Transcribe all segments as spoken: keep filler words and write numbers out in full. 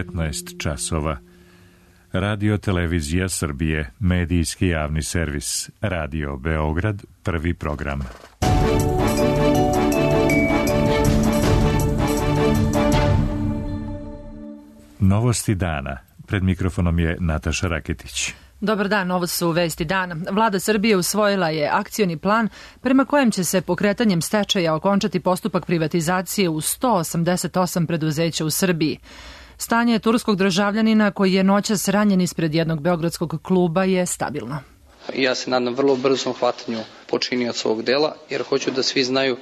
devetnaest časova. Radio Televizija Srbije, medijski javni servis. Radio Beograd, prvi program. Novosti dana. Pred mikrofonom je Nataša Raketić. Dobar dan, ovo su vesti dana. Vlada Srbije usvojila je akcioni plan prema kojem će se pokretanjem stečaja okončati postupak privatizacije u sto osamdeset osam preduzeća u Srbiji. Stanje turskog državljanina koji je noćas ranjen ispred jednog beogradskog kluba je stabilno. Ja se nadam vrlo brzom hvatanju počinioca ovog dela, jer hoću da svi znaju,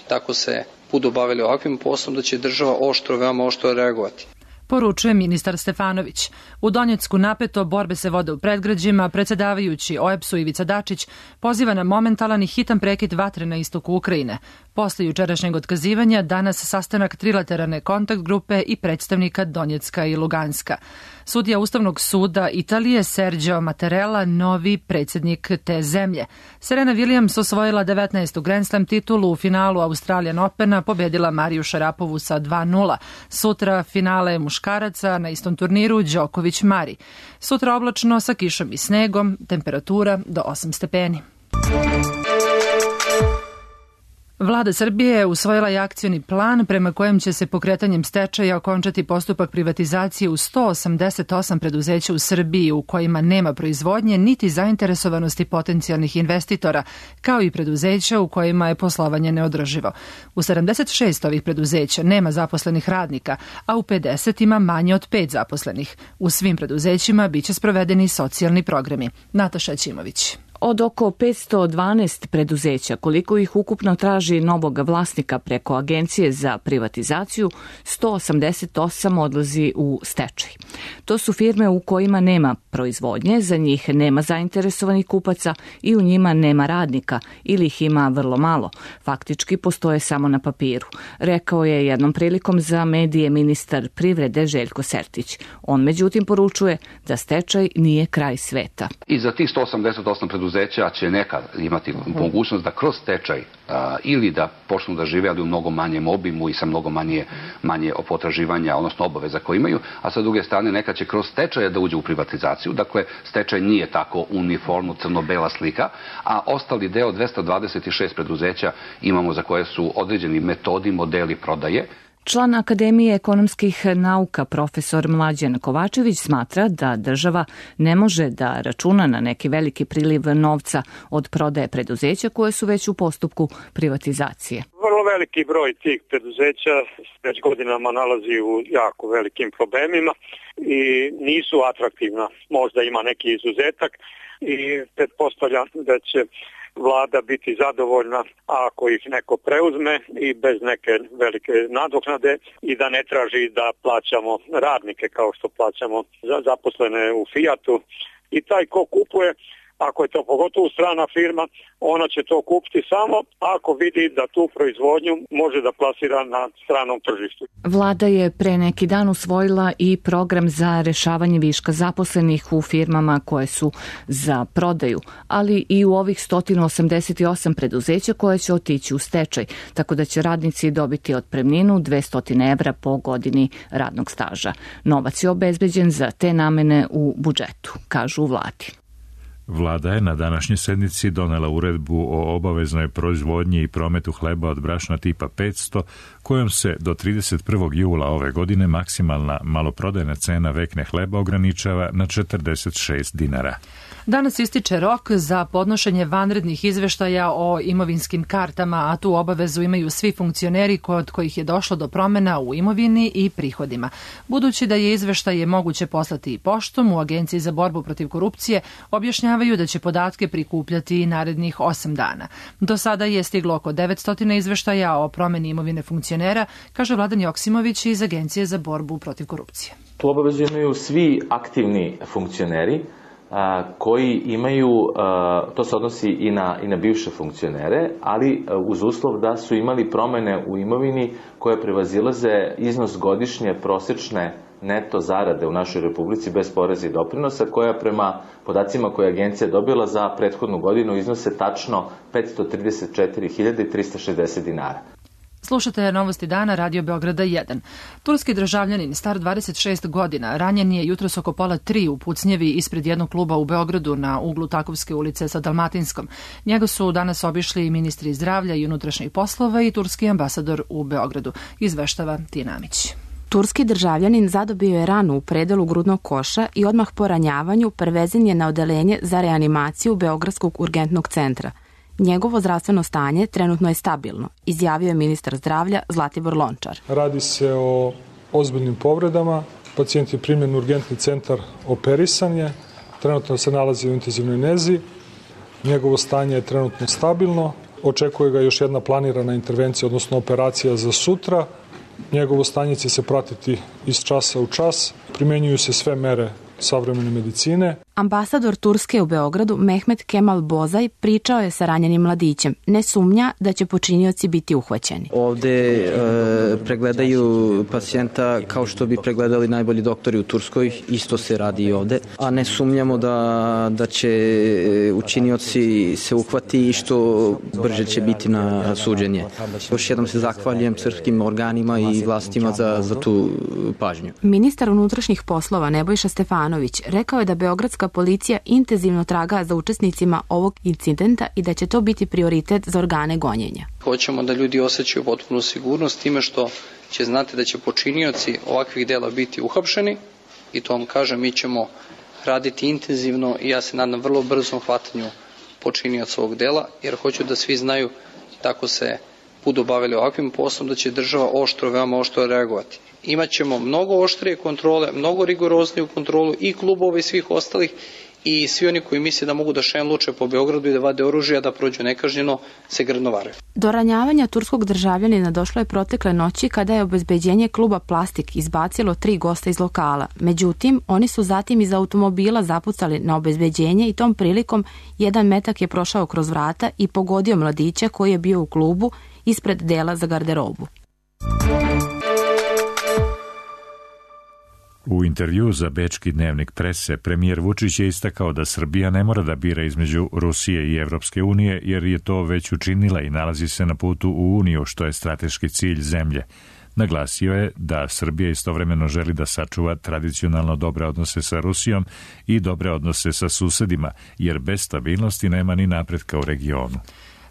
tako se budu bavili ovakvim poslom, da će država oštro, veoma oštro reagovati. Poručuje ministar Stefanović. U Donjecku napeto, borbe se vode u predgrađima, predsedavajući O E B S-u Ivica Dačić poziva na momentalan i hitan prekid vatre na istoku Ukrajine. Posle jučerašnjeg otkazivanja, danas sastanak trilateralne kontakt grupe i predstavnika Donjecka i Luganska. Sudija Ustavnog suda Italije Sergio Mattarella, novi predsjednik te zemlje. Serena Williams osvojila devetnaestu Grand Slam titulu u finalu Australian Opena, pobedila Mariju Šarapovu sa dva nula. Sutra finale muškaraca na istom turniru Đoković Mari. Sutra oblačno sa kišom i snegom, temperatura do osam stepeni. Vlada Srbije je usvojila i akcioni plan prema kojem će se pokretanjem stečaja okončati postupak privatizacije u sto osamdeset osam preduzeća u Srbiji u kojima nema proizvodnje niti zainteresovanosti potencijalnih investitora, kao i preduzeća u kojima je poslovanje neodrživo. U sedamdeset šest ovih preduzeća nema zaposlenih radnika, a u pedeset ima manje od pet zaposlenih. U svim preduzećima biće sprovedeni socijalni programi. Nataša Ćimović. Od oko petsto dvanaest preduzeća, koliko ih ukupno traži novog vlasnika preko Agencije za privatizaciju, sto osamdeset osam odlazi u stečaj. To su firme u kojima nema proizvodnje, za njih nema zainteresovanih kupaca i u njima nema radnika ili ih ima vrlo malo. Faktički postoje samo na papiru, rekao je jednom prilikom za medije ministar privrede Željko Sertić. On međutim poručuje da stečaj nije kraj sveta. I za tih sto osamdeset osam preduzeća će nekad imati mogućnost da kroz stečaj a, ili da počnu da žive, ali u mnogo manjem obimu i sa mnogo manje, manje potraživanja, odnosno obaveza koje imaju, a sa druge strane nekad će kroz stečaje da uđe u privatizaciju. Dakle, stečaj nije tako uniformno crno-bela slika, a ostali deo dvesta dvadeset šest preduzeća imamo za koje su određeni metodi, modeli prodaje. Član Akademije ekonomskih nauka profesor Mlađan Kovačević smatra da država ne može da računa na neki veliki priliv novca od prodaje preduzeća koje su već u postupku privatizacije. Vrlo veliki broj tih preduzeća već godinama nalazi u jako velikim problemima i nisu atraktivna. Možda ima neki izuzetak i pretpostavljam da će Vlada biti zadovoljna ako ih neko preuzme i bez neke velike nadoknade i da ne traži da plaćamo radnike kao što plaćamo za zaposlene u Fijatu. I taj ko kupuje, ako je to pogotovo strana firma, ona će to kupiti samo ako vidi da tu proizvodnju može da plasira na stranom tržištu. Vlada je pre neki dan usvojila i program za rešavanje viška zaposlenih u firmama koje su za prodaju, ali i u ovih sto osamdeset osam preduzeća koje će otići u stečaj, tako da će radnici dobiti otpremninu dvesta evra po godini radnog staža. Novac je obezbeđen za te namene u budžetu, kažu u vladi. Vlada je na današnjoj sednici donela uredbu o obaveznoj proizvodnji i prometu hleba od brašna tipa petsto, kojom se do trideset prvog jula ove godine maksimalna maloprodajna cena vekne hleba ograničava na četrdeset šest dinara. Danas ističe rok za podnošenje vanrednih izveštaja o imovinskim kartama, a tu obavezu imaju svi funkcioneri kod kojih je došlo do promena u imovini i prihodima. Budući da je izveštaje moguće poslati i poštom, u Agenciji za borbu protiv korupcije objašnjavaju da će podatke prikupljati narednih osam dana. Do sada je stiglo oko devetsto izveštaja o promeni imovine funkcionera, kaže Vladan Joksimović iz Agencije za borbu protiv korupcije. Tu obavezu imaju svi aktivni funkcioneri koji imaju, to se odnosi i na, i na bivše funkcionere, ali uz uslov da su imali promene u imovini koje prevazilaze iznos godišnje prosečne neto zarade u našoj Republici bez poreza i doprinosa, koja prema podacima koje je agencija dobila za prethodnu godinu iznose tačno petsto trideset četiri hiljade trista šezdeset dinara. Slušate novosti dana Radio Beograda jedan. Turski državljanin star dvadeset šest godina ranjen je jutros oko pola tri u pucnjevi ispred jednog kluba u Beogradu na uglu Takovske ulice sa Dalmatinskom. Njega su danas obišli ministri zdravlja i unutrašnjih poslova i turski ambasador u Beogradu. Izveštava Tina Amić. Turski državljanin zadobio je ranu u predelu grudnog koša i odmah po ranjavanju prevezen je na odeljenje za reanimaciju Beogradskog urgentnog centra. Njegovo zdravstveno stanje trenutno je stabilno, izjavio je ministar zdravlja Zlatibor Lončar. Radi se o ozbiljnim povredama. Pacijent je primljen u urgentni centar, operisan je, trenutno se nalazi u intenzivnoj nezi. Njegovo stanje je trenutno stabilno. Očekuje ga još jedna planirana intervencija, odnosno operacija za sutra. Njegovo stanje će se pratiti iz časa u čas. Primenjuju se sve mere savremene medicine. Ambasador Turske u Beogradu Mehmet Kemal Bozaj pričao je sa ranjenim mladićem. Ne sumnja da će počinioci biti uhvaćeni. Ovde e, pregledaju pacijenta kao što bi pregledali najbolji doktori u Turskoj. Isto se radi i ovde. A ne sumnjamo da, da će učinioci se uhvati i što brže će biti na suđenje. Još jednom se zahvaljujem srpskim organima i vlastima za, za tu pažnju. Ministar unutrašnjih poslova Nebojša Stefanović rekao je da beogradska policija intenzivno traga za učesnicima ovog incidenta i da će to biti prioritet za organe gonjenja. Hoćemo da ljudi osjećaju potpunu sigurnost time što će znati da će počinioci ovakvih dela biti uhapšeni i to vam kažem, mi ćemo raditi intenzivno i ja se nadam vrlo brzom hvatanju počinioca ovog dela, jer hoću da svi znaju tako se budu bavili ovakvim poslom da će država oštro, veoma oštro reagovati. Imaćemo mnogo oštrije kontrole, mnogo rigorozniju kontrolu i klubova i svih ostalih i svi oni koji misle da mogu da šenluče po Beogradu i da vade oružje, da prođu nekažnjeno, se grdno varaju. Do ranjavanja turskog državljanina došlo je protekle noći kada je obezbeđenje kluba Plastik izbacilo tri gosta iz lokala. Međutim, oni su zatim iz automobila zapucali na obezbeđenje i tom prilikom jedan metak je prošao kroz vrata i pogodio mladića koji je bio u klubu ispred dela za garderobu. U intervju za bečki dnevnik Prese, premijer Vučić je istakao da Srbija ne mora da bira između Rusije i Evropske unije, jer je to već učinila i nalazi se na putu u Uniju, što je strateški cilj zemlje. Naglasio je da Srbija istovremeno želi da sačuva tradicionalno dobre odnose sa Rusijom i dobre odnose sa susedima, jer bez stabilnosti nema ni napretka u regionu.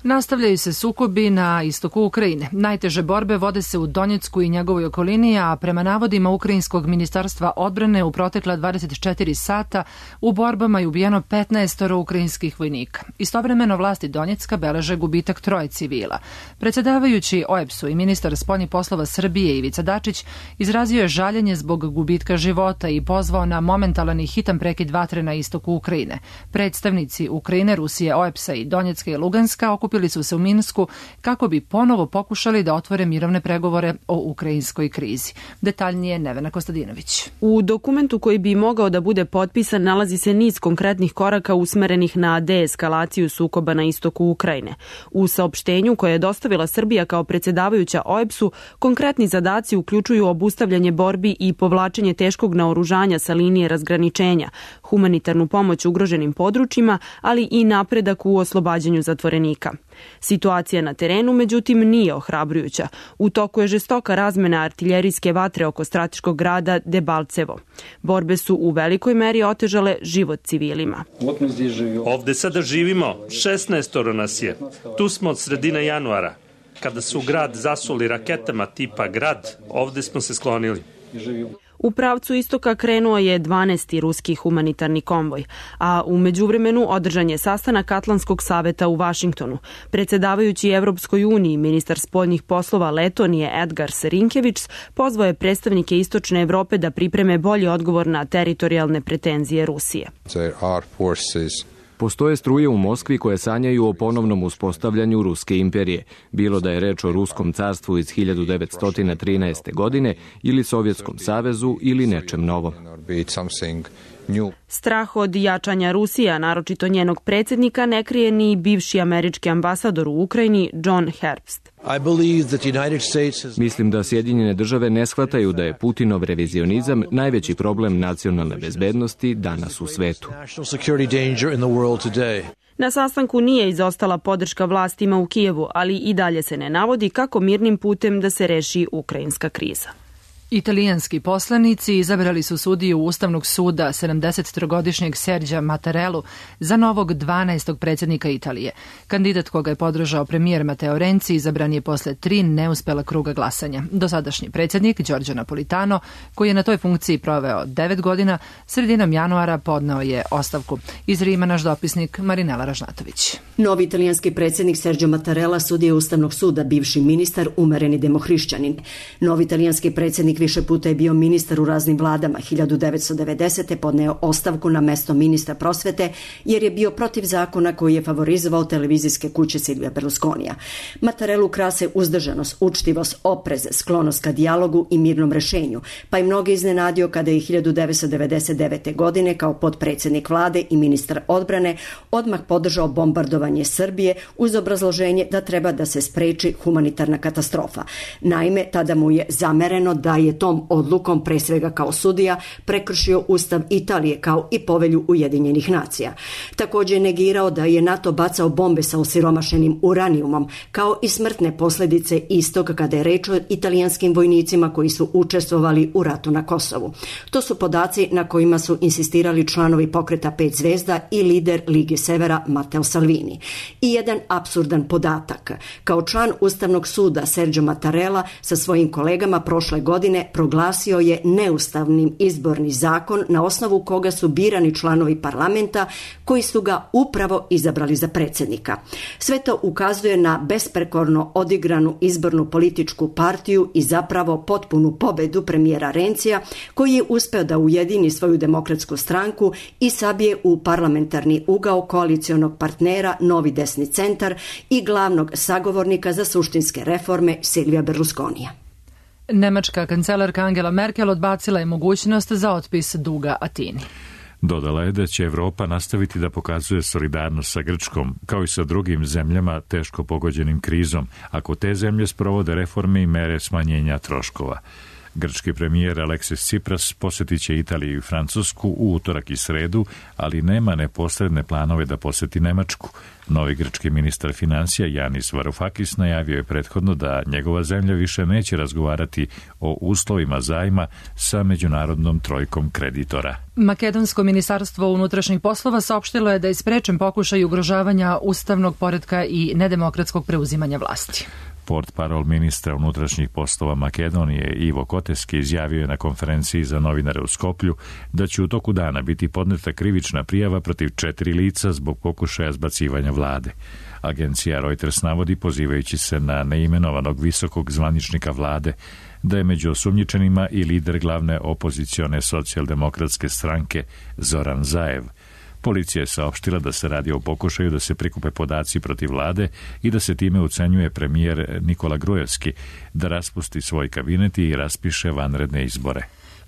Nastavljaju se sukobi na istoku Ukrajine. Najteže borbe vode se u Donjecku i njegovoj okolini, a prema navodima Ukrajinskog ministarstva odbrane u protekla dvadeset četiri sata u borbama je ubijeno petnaest ukrajinskih vojnika. Istovremeno vlasti Donjecka beleže gubitak troje civila. Predsjedavajući O E B S-u i ministar spoljnih poslova Srbije Ivica Dačić izrazio je žaljenje zbog gubitka života i pozvao na momentalan i hitan prekid vatre na istoku Ukrajine. Predstavnici Ukrajine, Rusije, O E B S-a i Donjecka i Luganska okupili su se u Minsku kako bi ponovo pokušali da otvore mirovne pregovore o ukrajinskoj krizi. Detaljnije Nevena Kostadinović. U dokumentu koji bi mogao da bude potpisan nalazi se niz konkretnih koraka usmerenih na deeskalaciju sukoba na istoku Ukrajine. U saopštenju koje je dostavila Srbija kao predsjedavajuća O E B S-u, konkretni zadaci uključuju obustavljanje borbi i povlačenje teškog naoružanja sa linije razgraničenja, humanitarnu pomoć ugroženim područjima, ali i napredak u oslobađanju zatvorenika. Situacija na terenu, međutim, nije ohrabrujuća. U toku je žestoka razmena artiljerijske vatre oko strateškog grada Debalcevo. Borbe su u velikoj meri otežale život civilima. Ovde sada živimo, šesnaestoro nas je. Tu smo od sredine januara. Kada su grad zasuli raketama tipa Grad, ovde smo se sklonili. U pravcu istoka krenuo je dvanaesti ruski humanitarni konvoj, a u međuvremenu održan je sastanak Atlantskog saveta u Vašingtonu. Predsjedavajući Evropskoj uniji, ministar spoljnih poslova Letonije Edgar Rinkevič pozvao je predstavnike Istočne Evrope da pripreme bolji odgovor na teritorijalne pretenzije Rusije. Postoje struje u Moskvi koje sanjaju o ponovnom uspostavljanju Ruske imperije, bilo da je reč o Ruskom carstvu iz hiljadu devetsto trinaeste. godine ili Sovjetskom savezu ili nečem novom. Strah od jačanja Rusije, naročito njenog predsjednika, ne krije ni bivši američki ambasador u Ukrajini John Herbst. Mislim da Sjedinjene države ne shvataju da je Putinov revizionizam najveći problem nacionalne bezbednosti danas u svetu. Na sastanku nije izostala podrška vlastima u Kijevu, ali i dalje se ne navodi kako mirnim putem da se reši ukrajinska kriza. Italijanski poslanici izabrali su sudiju Ustavnog suda sedamdesettrogodišnjeg Serđa Mattarellu za novog dvanaestog predsjednika Italije. Kandidat koga je podržao premijer Matteo Renzi izabran je posle tri neuspela kruga glasanja. Dosadašnji predsjednik Giorgio Napolitano, koji je na toj funkciji proveo devet godina, sredinom januara podneo je ostavku. Iz Rima naš dopisnik Marinela Ražnatović. Novi italijanski predsjednik Sergio Mattarella sudija Ustavnog suda, bivši ministar, umereni demohrišćanin. Novi italijanski predsjednik više puta je bio ministar u raznim vladama. hiljadu devetsto devedesete. podneo ostavku na mesto ministra prosvete jer je bio protiv zakona koji je favorizovao televizijske kuće Silvija Berlusconija. Mattarellu krase uzdržanost, učtivost, oprez, sklonost ka dijalogu i mirnom rešenju, pa i mnoge iznenadio kada je hiljadu devetsto devedeset devete. godine kao potpredsjednik vlade i ministar odbrane odmah podržao bombardovanje Srbije uz obrazloženje da treba da se spreči humanitarna katastrofa. Naime, tada mu je zamereno da je tom odlukom, pre svega kao sudija, prekršio Ustav Italije kao i povelju Ujedinjenih nacija. Također je negirao da je NATO bacao bombe sa osiromašenim uranijumom, kao i smrtne posljedice istog kada je reč o italijanskim vojnicima koji su učestvovali u ratu na Kosovu. To su podaci na kojima su insistirali članovi pokreta Pet zvezda i lider Lige Severa Matteo Salvini. I jedan apsurdan podatak. Kao član Ustavnog suda Sergio Mattarella sa svojim kolegama prošle godine proglasio je neustavnim izborni zakon na osnovu koga su birani članovi parlamenta koji su ga upravo izabrali za predsjednika. Sve to ukazuje na besprekorno odigranu izbornu političku partiju i zapravo potpunu pobedu premijera Renzija, koji je uspeo da ujedini svoju demokratsku stranku i sabije u parlamentarni ugao koalicionog partnera Novi desni centar i glavnog sagovornika za suštinske reforme Silvija Berlusconija. Nemačka kancelarka Angela Merkel odbacila je mogućnost za otpis duga Atini. Dodala je da će Evropa nastaviti da pokazuje solidarnost sa Grčkom, kao i sa drugim zemljama teško pogođenim krizom, ako te zemlje sprovode reforme i mere smanjenja troškova. Grčki premijer Aleksis Tsipras posjetit će Italiju i Francusku u utorak i sredu, ali nema neposredne planove da posjeti Nemačku. Novi grčki ministar financija Yanis Varoufakis najavio je prethodno da njegova zemlja više neće razgovarati o uslovima zajma sa međunarodnom trojkom kreditora. Makedonsko ministarstvo unutrašnjih poslova saopštilo je da je sprečen pokušaj ugrožavanja ustavnog poretka i nedemokratskog preuzimanja vlasti. Portparol ministra unutrašnjih poslova Makedonije Ivo Koteski izjavio je na konferenciji za novinare u Skoplju da će u toku dana biti podneta krivična prijava protiv četiri lica zbog pokušaja zbacivanja vlade. Agencija Reuters navodi, pozivajući se na neimenovanog visokog zvaničnika vlade, da je među osumnjičenima i lider glavne opozicione socijaldemokratske stranke Zoran Zaev. Policija je saopštila da se radi o pokušaju da se prikupe podaci protiv vlade i da se time ucenjuje premijer Nikola Grujevski da raspusti svoj kabinet i raspiše vanredne izbore.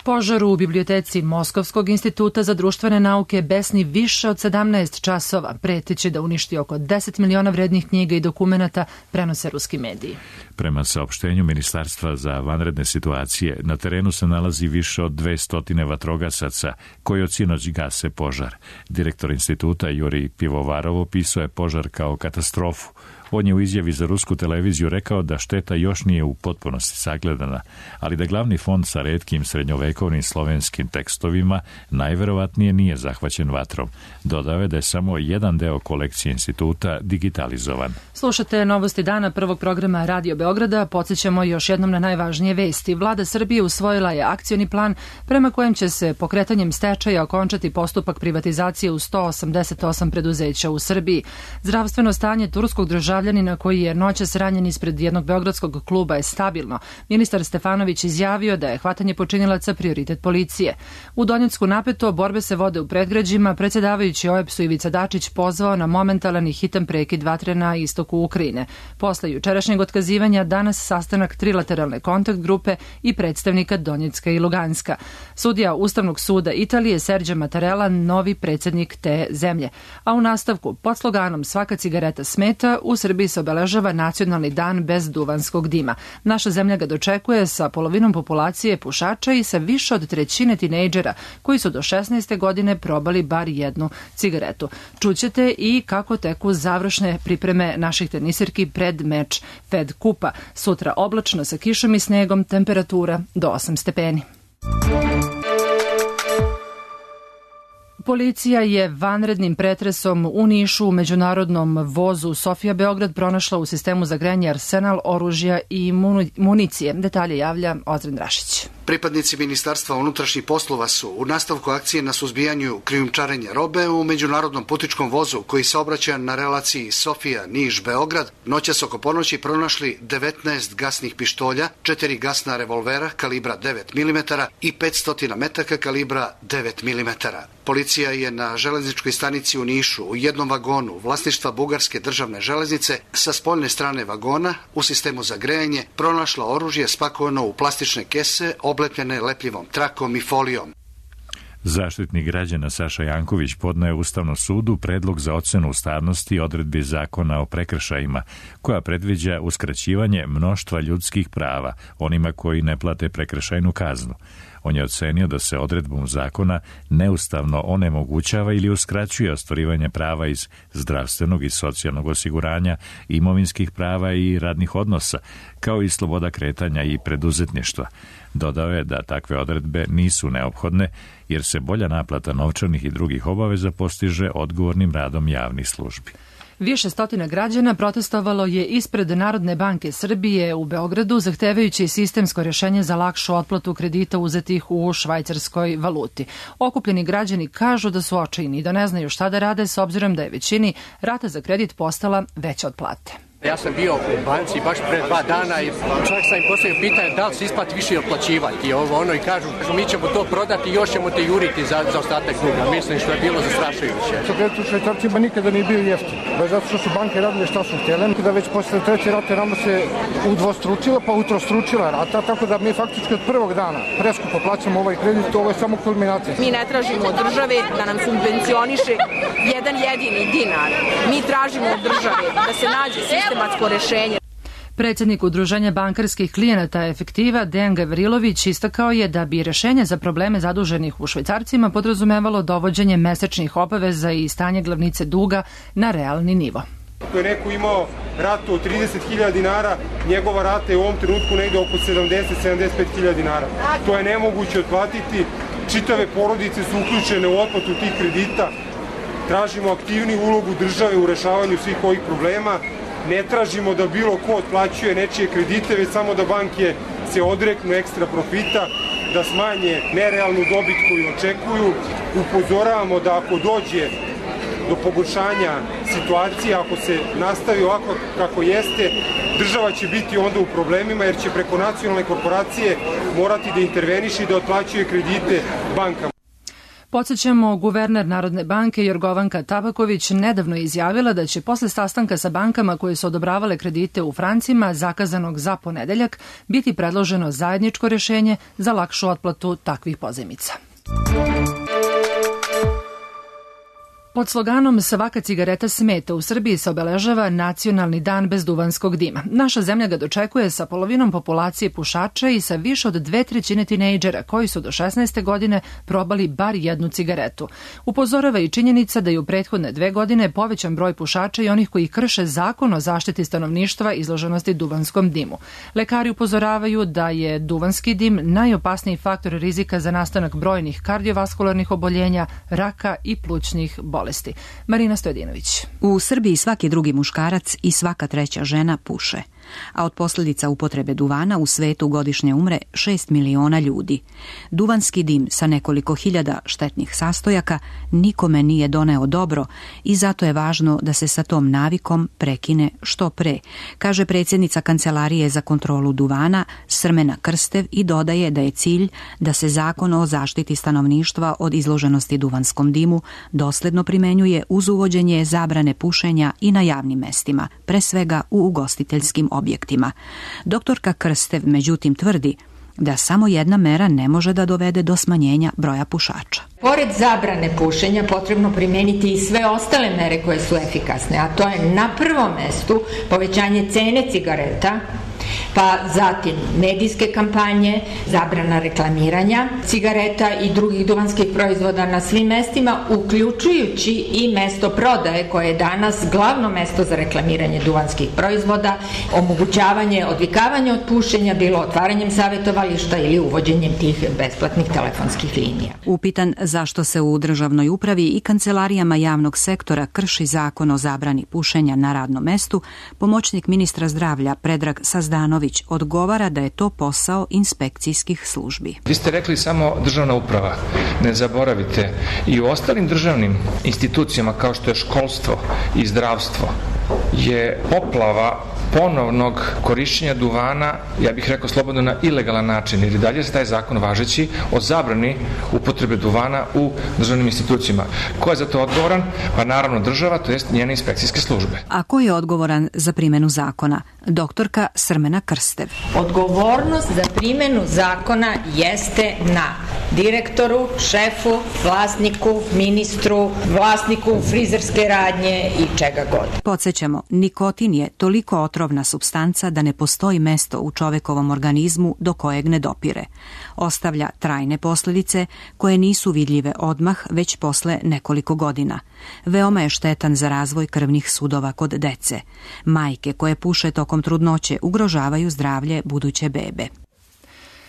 Požar u biblioteci Moskovskog instituta za društvene nauke besni više od sedamnaest časova, preteći da uništi oko deset miliona vrednih knjiga i dokumenata, prenose ruski mediji. Prema saopštenju Ministarstva za vanredne situacije, na terenu se nalazi više od dvesta vatrogasaca koji od sinoć gase požar. Direktor instituta Jurij Pivovarov opisao je požar kao katastrofu. On je u izjavi za rusku televiziju rekao da šteta još nije u potpunosti sagledana, ali da glavni fond sa retkim srednjovekovnim slovenskim tekstovima najverovatnije nije zahvaćen vatrom. Dodao je da je samo jedan deo kolekcije instituta digitalizovan. Slušate novosti dana prvog programa Radio Beograda. Podsjećamo još jednom na najvažnije vesti. Vlada Srbije usvojila je akcioni plan prema kojem će se pokretanjem stečaja okončati postupak privatizacije u sto osamdeset osam preduzeća u Srbiji. Zdravstveno stanje turskog državljanina koji je noćas ranjen ispred jednog beogradskog kluba je stabilno. Ministar Stefanović izjavio da je hvatanje počinilaca prioritet policije. U Donjecku napeto, borbe se vode u predgrađima, predsjedavajući O E B S-u Ivica Dačić pozvao na momentalan i hitan prekid vatre na istoku Ukrajine. Posle jučerašnjeg otkazivanja danas sastanak trilateralne kontakt grupe i predstavnika Donjecka i Luganska. Sudija Ustavnog suda Italije Sergio Mattarella novi predsjednik te zemlje. A u nastavku, pod sloganom Svaka cigareta smeta, u Srbiji Srbiji se obeležava Nacionalni dan bez duvanskog dima. Naša zemlja ga dočekuje sa polovinom populacije pušača i sa više od trećine tinejdžera koji su do šesnaeste godine probali bar jednu cigaretu. Čućete i kako teku završne pripreme naših tenisirki pred meč Fed kupa. Sutra oblačno sa kišom i snegom, temperatura do osam stepeni. Policija je vanrednim pretresom u Nišu u međunarodnom vozu Sofija Beograd pronašla u sistemu za grejanje arsenal oružja i municije. Detalje javlja Ozren Drašić. Pripadnici Ministarstva unutrašnjih poslova su u nastavku akcije na suzbijanju krijumčarenja robe u međunarodnom putničkom vozu koji se obraća na relaciji Sofija-Niš-Beograd noćas oko ponoći pronašli devetnaest gasnih pištolja, četiri gasna revolvera kalibra devet milimetara i petsto metaka kalibra devet milimetara. Policija je na železničkoj stanici u Nišu u jednom vagonu vlasništva Bugarske državne železnice sa spoljne strane vagona u sistemu za grejanje pronašla oružje spakovano u plastične kese oblepljene lepljivom trakom i folijom. Zaštitnik građana Saša Janković podneo je Ustavnom sudu predlog za ocenu ustavnosti odredbi zakona o prekršajima, koja predviđa uskraćivanje mnoštva ljudskih prava onima koji ne plate prekršajnu kaznu. On je ocenio da se odredbom zakona neustavno onemogućava ili uskraćuje ostvarivanje prava iz zdravstvenog i socijalnog osiguranja, imovinskih prava i radnih odnosa, kao i sloboda kretanja i preduzetništva. Dodao je da takve odredbe nisu neophodne, jer se bolja naplata novčanih i drugih obaveza postiže odgovornim radom javnih službi. Više stotina građana protestovalo je ispred Narodne banke Srbije u Beogradu zahtevajući sistemsko rješenje za lakšu otplatu kredita uzetih u švajcarskoj valuti. Okupljeni građani kažu da su očajni i da ne znaju šta da rade s obzirom da je većini rata za kredit postala veća od plate. Ja sam bio u banci baš pre dva dana i čak sam im postavio pitanje da li se isplati više otplaćivati i ovo ono i kažu mi ćemo to prodati i još ćemo te juriti za, za ostatak duga. Mislim što je bilo zastrašujuće. Sa kredit u švajcarcima nikada nije bio jeftin. Baš zato što su banke radile šta su htjele. Da već posle treće rate nama se udvostručila pa utrostručila rata, tako da mi faktički od prvog dana preskupo plaćamo ovaj kredit, ovo je samo kulminacija. Mi ne tražimo od države da nam subvencioniše jedan jedini dinar. Mi tražimo od države da se nađe sistem rešenje. Predsjednik Udruženja bankarskih klijenata Efektiva Dejan Gavrilović istakao je da bi rešenje za probleme zaduženih u švajcarcima podrazumevalo dovođenje mesečnih obaveza i stanje glavnice duga na realni nivo. Ako je neko imao ratu od trideset hiljada dinara, njegova rata je u ovom trenutku negde oko sedamdeset do sedamdeset pet hiljada dinara. To je nemoguće otplatiti. Čitave porodice su uključene u otplatu tih kredita. Tražimo aktivniju ulogu države u rešavanju svih ovih problema. Ne tražimo da bilo ko otplaćuje nečije kredite, već samo da banke se odreknu ekstra profita, da smanje nerealnu dobit koju očekuju. Upozoravamo da ako dođe do pogoršanja situacije, ako se nastavi ovako kako jeste, država će biti onda u problemima jer će preko nacionalne korporacije morati da interveniše i da otplaćuje kredite bankama. Podsjećamo, guverner Narodne banke Jorgovanka Tabaković nedavno je izjavila da će posle sastanka sa bankama koje su odobravale kredite u francima zakazanog za ponedeljak biti predloženo zajedničko rješenje za lakšu otplatu takvih pozajmica. Pod sloganom Svaka cigareta smeta u Srbiji se obeležava Nacionalni dan bez duvanskog dima. Naša zemlja ga dočekuje sa polovinom populacije pušača i sa više od dve trećine tinejdžera koji su do šesnaeste godine probali bar jednu cigaretu. Upozorava i činjenica da je u prethodne dve godine povećan broj pušača i onih koji krše zakon o zaštiti stanovništva izloženosti duvanskom dimu. Lekari upozoravaju da je duvanski dim najopasniji faktor rizika za nastanak brojnih kardiovaskularnih oboljenja, raka i plućnih bolesti. Marina Stojadinović. U Srbiji svaki drugi muškarac i svaka treća žena puše, a od posljedica upotrebe duvana u svetu godišnje umre šest miliona ljudi. Duvanski dim sa nekoliko hiljada štetnih sastojaka nikome nije doneo dobro i zato je važno da se sa tom navikom prekine što pre, kaže predsjednica Kancelarije za kontrolu duvana Srmena Krstev i dodaje da je cilj da se zakon o zaštiti stanovništva od izloženosti duvanskom dimu dosledno primenjuje uz uvođenje zabrane pušenja i na javnim mestima, pre svega u ugostiteljskim objektima. Doktorka Krstev međutim tvrdi da samo jedna mera ne može da dovede do smanjenja broja pušača. Pored zabrane pušenja potrebno primeniti i sve ostale mere koje su efikasne, a to je na prvom mestu povećanje cene cigareta, pa zatim medijske kampanje, zabrana reklamiranja cigareta i drugih duvanskih proizvoda na svim mestima, uključujući i mesto prodaje koje je danas glavno mesto za reklamiranje duvanskih proizvoda, omogućavanje odvikavanja od pušenja, bilo otvaranjem savjetovališta ili uvođenjem tih besplatnih telefonskih linija. Upitan zašto se u državnoj upravi i kancelarijama javnog sektora krši zakon o zabrani pušenja na radnom mestu, pomoćnik ministra zdravlja Predrag Sazdanović odgovara da je to posao inspekcijskih službi. Vi ste rekli samo državna uprava. Ne zaboravite, i u ostalim državnim institucijama kao što je školstvo i zdravstvo je poplava ponovnog korišćenja duvana, ja bih rekao slobodno, na ilegalan način, jer i dalje se taj zakon važeći o zabrani upotrebe duvana u državnim institucijama. Ko je za to odgovoran? Pa naravno država, to jest njene inspekcijske službe. A ko je odgovoran za primjenu zakona? Doktorka Srmena Krstev. Odgovornost za primjenu zakona jeste na direktoru, šefu, vlasniku, ministru, vlasniku frizerske radnje i čega god. Podsjećamo, nikotin je toliko otrovna supstanca da ne postoji mesto u čovekovom organizmu do kojeg ne dopire. Ostavlja trajne posljedice koje nisu vidljive odmah, već posle nekoliko godina. Veoma je štetan za razvoj krvnih sudova kod dece. Majke koje puše tokom trudnoće ugrožavaju zdravlje buduće bebe.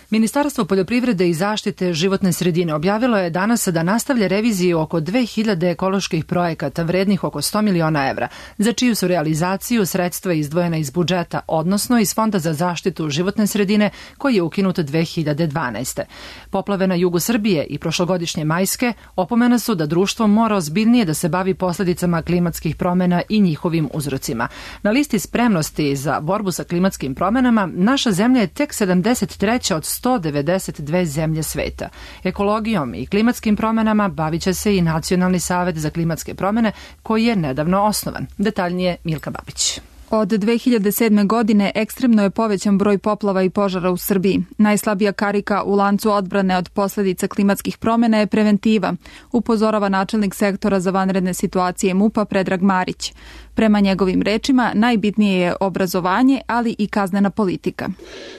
Ministarstvo poljoprivrede i zaštite životne sredine objavilo je danas da nastavlja reviziju oko dve hiljade ekoloških projekata vrednih oko sto miliona evra, za čiju su realizaciju sredstva izdvojena iz budžeta, odnosno iz Fonda za zaštitu životne sredine koji je ukinut dve hiljade dvanaeste. Poplave na jugu Srbije i prošlogodišnje majske opomena su da društvo mora ozbiljnije da se bavi posljedicama klimatskih promjena i njihovim uzrocima. Na listi spremnosti za borbu sa klimatskim promjenama naša zemlja je tek sedamdeset treća od sto devedeset dve zemlje sveta. Ekologijom i klimatskim promjenama bavit će se i Nacionalni savet za klimatske promjene koji je nedavno osnovan. Detaljnije Milka Babić. Od dve hiljade sedme. godine ekstremno je povećan broj poplava i požara u Srbiji. Najslabija karika u lancu odbrane od posljedica klimatskih promjena je preventiva, upozorava načelnik sektora za vanredne situacije MUP-a Predrag Marić. Prema njegovim rečima, najbitnije je obrazovanje, ali i kaznena politika.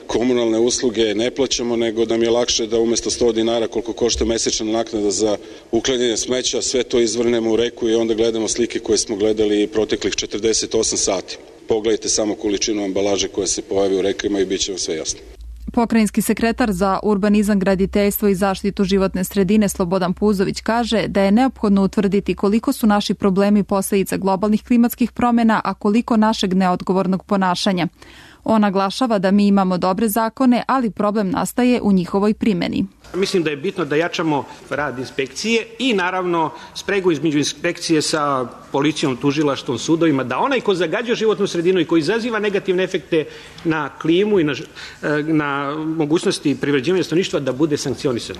Komunalne usluge ne plaćamo, nego nam je lakše da umjesto sto dinara koliko košta mesečna naknada za uklanjanje smeća, sve to izvrnemo u reku i onda gledamo slike koje smo gledali proteklih četrdeset osam sati. Pogledajte samo količinu ambalaže koja se pojavi u rekama i bit će vam sve jasno. Pokrajinski sekretar za urbanizam, graditeljstvo i zaštitu životne sredine Slobodan Puzović kaže da je neophodno utvrditi koliko su naši problemi posljedica globalnih klimatskih promjena, a koliko našeg neodgovornog ponašanja. On naglašava da mi imamo dobre zakone, ali problem nastaje u njihovoj primjeni. Mislim da je bitno da jačamo rad inspekcije i naravno spregu između inspekcije sa policijom, tužilaštvom, sudovima, da onaj ko zagađuje životnu sredinu i ko izaziva negativne efekte na klimu i na, na mogućnosti privređivanja stanovništva da bude sankcionisan.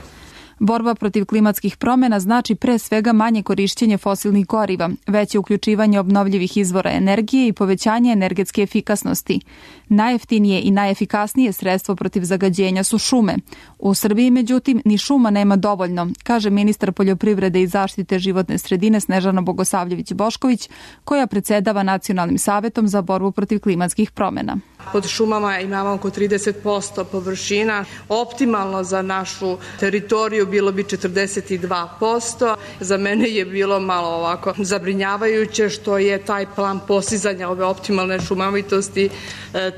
Borba protiv klimatskih promjena znači pre svega manje korišćenje fosilnih goriva, veće uključivanje obnovljivih izvora energije i povećanje energetske efikasnosti. Najjeftinije i najefikasnije sredstvo protiv zagađenja su šume. U Srbiji, međutim, ni šuma nema dovoljno, kaže ministar poljoprivrede i zaštite životne sredine Snežana Bogosavljević-Bošković, koja predsjedava Nacionalnim savetom za borbu protiv klimatskih promjena. Pod šumama imamo oko trideset posto površina. Optimalno za našu teritoriju bilo bi četrdeset dva posto. Za mene je bilo malo ovako zabrinjavajuće što je taj plan postizanja ove optimalne šumovitosti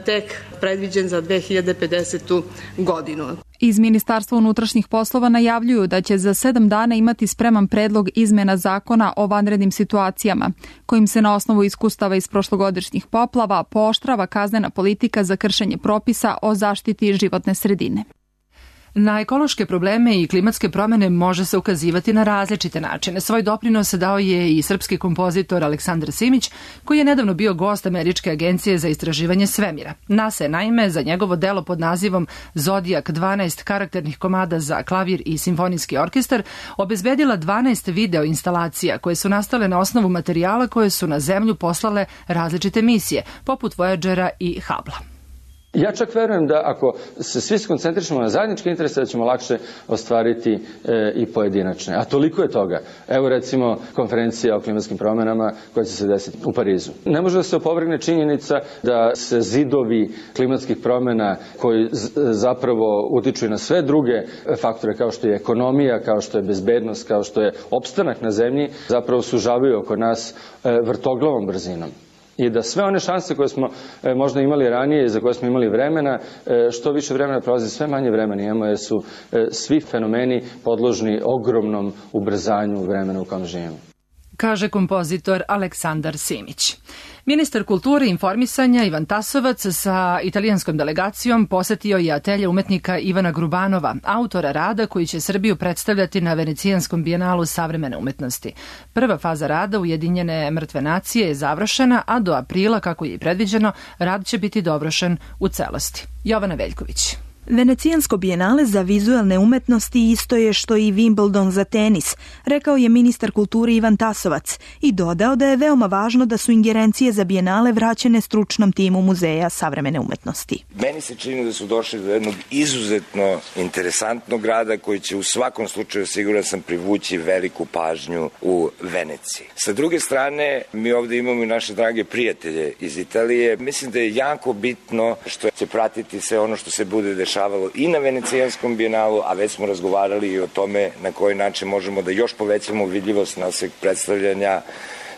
tek predviđen za dve hiljade pedesetu. godinu. Iz Ministarstva unutrašnjih poslova najavljuju da će za sedam dana imati spreman predlog izmjena zakona o vanrednim situacijama, kojim se na osnovu iskustava iz prošlogodišnjih poplava pooštrava kaznena politika za kršenje propisa o zaštiti životne sredine. Na ekološke probleme i klimatske promjene može se ukazivati na različite načine. Svoj doprinos dao je i srpski kompozitor Aleksandar Simić, koji je nedavno bio gost Američke agencije za istraživanje svemira. NASA je naime za njegovo delo pod nazivom Zodijak dvanaest karakternih komada za klavir i simfonijski orkestar obezbedila dvanaest video instalacija koje su nastale na osnovu materijala koje su na Zemlju poslale različite misije, poput Voyagera i Hubble. Ja čak verujem da ako se svi skoncentrišemo na zajedničke interese, da ćemo lakše ostvariti e, i pojedinačne. A toliko je toga. Evo recimo konferencija o klimatskim promjenama koja će se desiti u Parizu. Ne može da se opovrgne činjenica da se zidovi klimatskih promjena koji zapravo utiču i na sve druge faktore kao što je ekonomija, kao što je bezbednost, kao što je opstanak na zemlji, zapravo sužavaju oko nas e, vrtoglavom brzinom. I da sve one šanse koje smo e, možda imali ranije i za koje smo imali vremena, e, što više vremena prolazi, sve manje vremena imamo jer su e, svi fenomeni podložni ogromnom ubrzanju vremena u kojem živimo. Kaže kompozitor Aleksandar Simić. Ministar kulture i informisanja Ivan Tasovac sa italijanskom delegacijom posetio je atelje umetnika Ivana Grubanova, autora rada koji će Srbiju predstavljati na Venecijanskom bijenalu savremene umetnosti. Prva faza rada Ujedinjene mrtve nacije je završena, a do aprila, kako je i predviđeno, rad će biti dovršen u celosti. Jovana Veljković. Venecijansko bijenale za vizualne umetnosti isto je što i Wimbledon za tenis, rekao je ministar kulture Ivan Tasovac i dodao da je veoma važno da su ingerencije za bijenale vraćene stručnom timu Muzeja savremene umetnosti. Meni se čini da su došli do jednog izuzetno interesantnog rada koji će u svakom slučaju, siguran sam, privući veliku pažnju u Veneciji. Sa druge strane, mi ovdje imamo i naše drage prijatelje iz Italije. Mislim da je jako bitno što će pratiti sve ono što se bude dešavalo i na Venecijanskom bijenalu, a već smo razgovarali i o tome na koji način možemo da još povećamo vidljivost našeg predstavljanja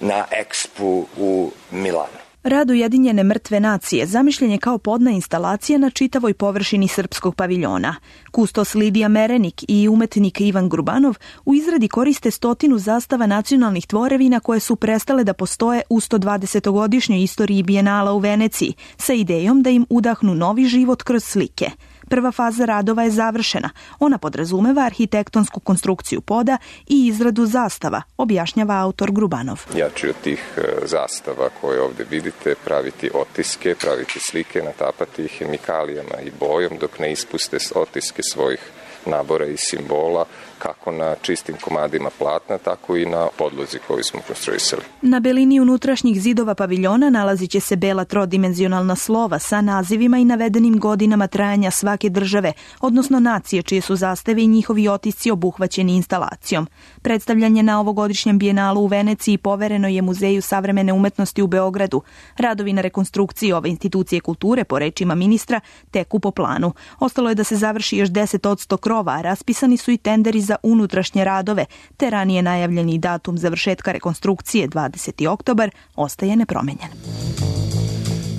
na Expu u Milanu. Rad Ujedinjene mrtve nacije zamišljen je kao podna instalacija na čitavoj površini srpskog paviljona. Kustos Lidija Merenik i umetnik Ivan Grubanov u izradi koriste stotinu zastava nacionalnih tvorevina koje su prestale da postoje u sto dvadesetogodišnjoj istoriji bijenala u Veneciji, sa idejom da im udahnu novi život kroz slike. Prva faza radova je završena. Ona podrazumeva arhitektonsku konstrukciju poda i izradu zastava, objašnjava autor Grubanov. Ja ću od tih zastava koje ovdje vidite praviti otiske, praviti slike, natapati ih hemikalijama i bojom dok ne ispuste otiske svojih nabora i simbola, kako na čistim komadima platna, tako i na podlozi koju smo konstruisali. Na belini unutrašnjih zidova paviljona nalazit će se bela trodimenzionalna slova sa nazivima i navedenim godinama trajanja svake države, odnosno nacije čije su zastave i njihovi otisci obuhvaćeni instalacijom. Predstavljanje na ovogodišnjem bijenalu u Veneciji povereno je Muzeju savremene umetnosti u Beogradu. Radovi na rekonstrukciji ove institucije kulture, po rečima ministra, teku po planu. Ostalo je da se završi još deset posto krova, a raspisani su i tenderi za unutrašnje radove, te ranije najavljeni datum završetka rekonstrukcije dvadeseti oktobar ostaje nepromenjen.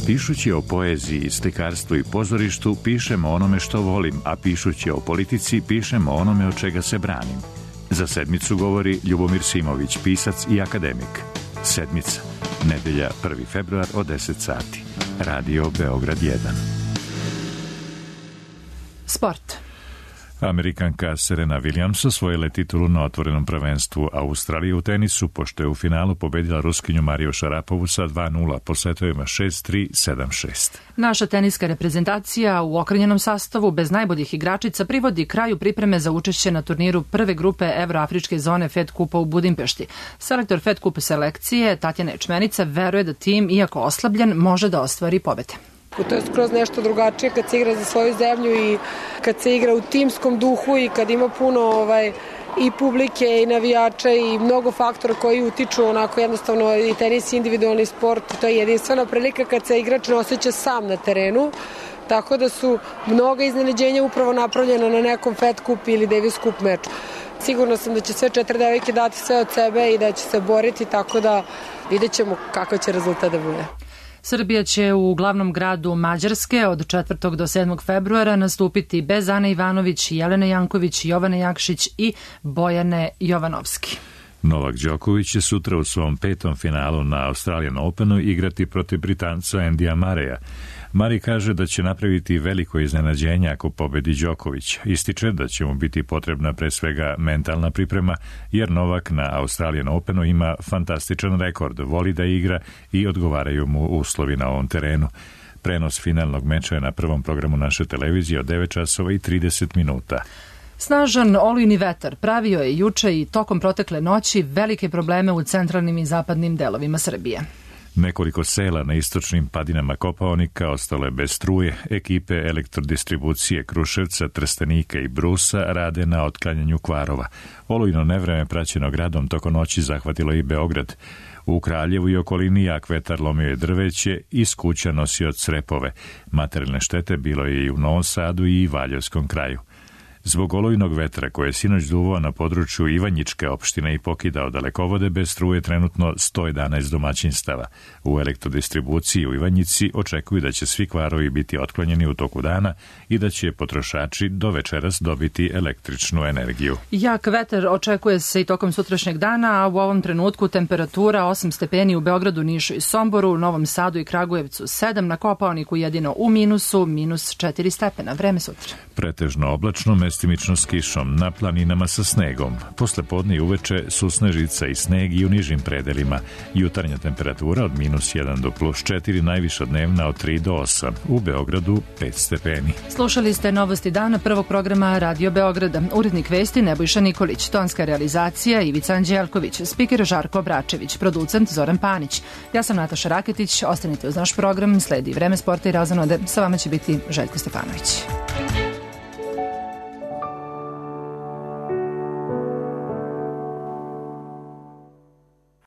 Pišući o poeziji, slikarstvu i pozorištu, pišem o onome što volim, a pišući o politici, pišem o onome od čega se branim. Za sedmicu govori Ljubomir Simović, pisac i akademik. Sedmica, nedelja prvi februar od deset sati. Radio Beograd jedan. Sport. Amerikanka Serena Williams osvojila je titulu na otvorenom prvenstvu Australije u tenisu, pošto je u finalu pobedila Ruskinju Mariju Šarapovu sa dva nula po setovima šest tri, sedam šest. Naša teniska reprezentacija u okrnjenom sastavu bez najboljih igračica privodi kraju pripreme za učešće na turniru prve grupe Evroafričke zone Fed Kupa u Budimpešti. Selektor Fed Kupa selekcije Tatjana Ječmenica veruje da tim, iako oslabljen, može da ostvari pobede. To je skroz nešto drugačije kad se igra za svoju zemlju i kad se igra u timskom duhu i kad ima puno ovaj, i publike i navijača i mnogo faktora koji utiču, onako jednostavno i tenis individualni sport, to je jedinstvena prilika kad se igrač ne osjeća sam na terenu, tako da su mnoga iznenađenja upravo napravljena na nekom Fed Cup ili Davis Cup meču. Sigurno sam da će sve četiri devojke dati sve od sebe i da će se boriti, tako da vidjet ćemo kakav će rezultat da bude. Srbija će u glavnom gradu Mađarske od četvrtog do sedmog februara nastupiti bez Ane Ivanović, Jelene Janković, Jovane Jakšić i Bojane Jovanovski. Novak Đoković će sutra u svom petom finalu na Australian Openu igrati protiv Britanca Andyja Murraya. Murray kaže da će napraviti veliko iznenađenje ako pobedi Đoković. Ističe da će mu biti potrebna pre svega mentalna priprema, jer Novak na Australian Openu ima fantastičan rekord, voli da igra i odgovaraju mu uslovi na ovom terenu. Prenos finalnog meča je na prvom programu naše televizije od devet časova i trideset minuta. Snažan olujni vetar pravio je juče i tokom protekle noći velike probleme u centralnim i zapadnim delovima Srbije. Nekoliko sela na istočnim padinama Kopaonika ostalo je bez struje. Ekipe elektrodistribucije Kruševca, Trstenika i Brusa rade na otklanjanju kvarova. Olujno nevreme praćeno gradom tokom noći zahvatilo i Beograd. U Kraljevu i okolini jak vetar lomio je drveće, iz kuća nosio crepove. Materijalne štete bilo je i u Novom Sadu i Valjevskom kraju. Zbog olujnog vetra koje je sinoć duvao na području Ivanjičke opštine i pokidao dalekovode, bez struje trenutno sto jedanaest domaćinstava. U elektrodistribuciji u Ivanjici očekuju da će svi kvarovi biti otklonjeni u toku dana i da će potrošači do večeras dobiti električnu energiju. Jak vetar očekuje se i tokom sutrašnjeg dana, a u ovom trenutku temperatura osam stepeni u Beogradu, Nišu i Somboru, u Novom Sadu i Kragujevcu sedam, na Kopaoniku jedino u minusu, minus četiri stepena. Vreme sutra. Pretežno oblačno, mestimično s kišom, na planinama sa snegom. Posle podne i uveče susnežica i sneg i u nižim predelima. Jutarnja temperatura od minus jedan do plus četiri, najviša dnevna od tri do osam. U Beogradu pet stepeni. Slušali ste novosti dana prvog programa Radio Beograda. Urednik vesti Nebojša Nikolić, tonska realizacija Ivica Anđelković, spiker Žarko Obračević, producent Zoran Panić. Ja sam Nataša Raketić, ostanite uz naš program, sledi Vreme sporta i razonode. Sa vama će biti Željko Stefanović.